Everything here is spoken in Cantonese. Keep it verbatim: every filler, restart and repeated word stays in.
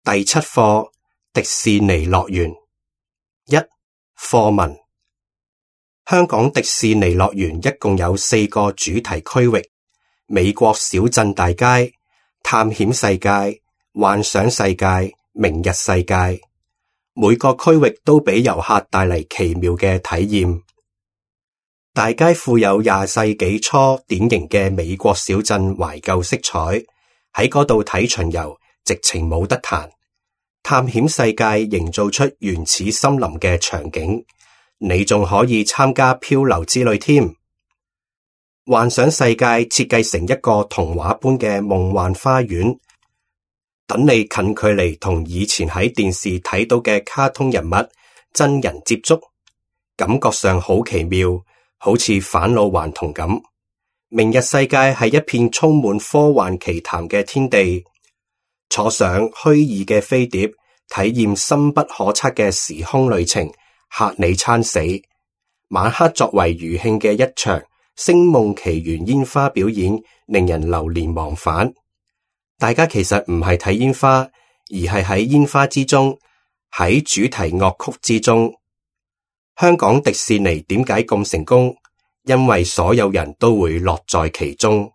第七課迪士尼樂園。一、課文。香港迪士尼樂園一共有四個主題區域：美國小鎮大街、探險世界、幻想世界、明日世界。每個區域都俾遊客帶嚟奇妙嘅體驗。大街富有廿世紀初典型嘅美國小鎮懷舊色彩，喺嗰度睇巡遊直情冇得彈。探險世界營造出原始森林嘅場景，你仲可以參加漂流之旅添。幻想世界設計成一個童話般嘅夢幻花園，等你近距離同以前喺電視睇到嘅卡通人物真人接觸，感覺上好奇妙，好似返老還童咁。明日世界係一片充滿科幻奇談嘅天地，坐上虛擬嘅飛碟，體驗深不可測嘅時空旅程，嚇你餐死。晚黑作為餘興嘅一場星夢奇緣煙花表演，令人流連忘返。大家其實唔係睇煙花，而係喺煙花之中，喺主題樂曲之中。香港迪士尼點解咁成功？因為所有人都會樂在其中。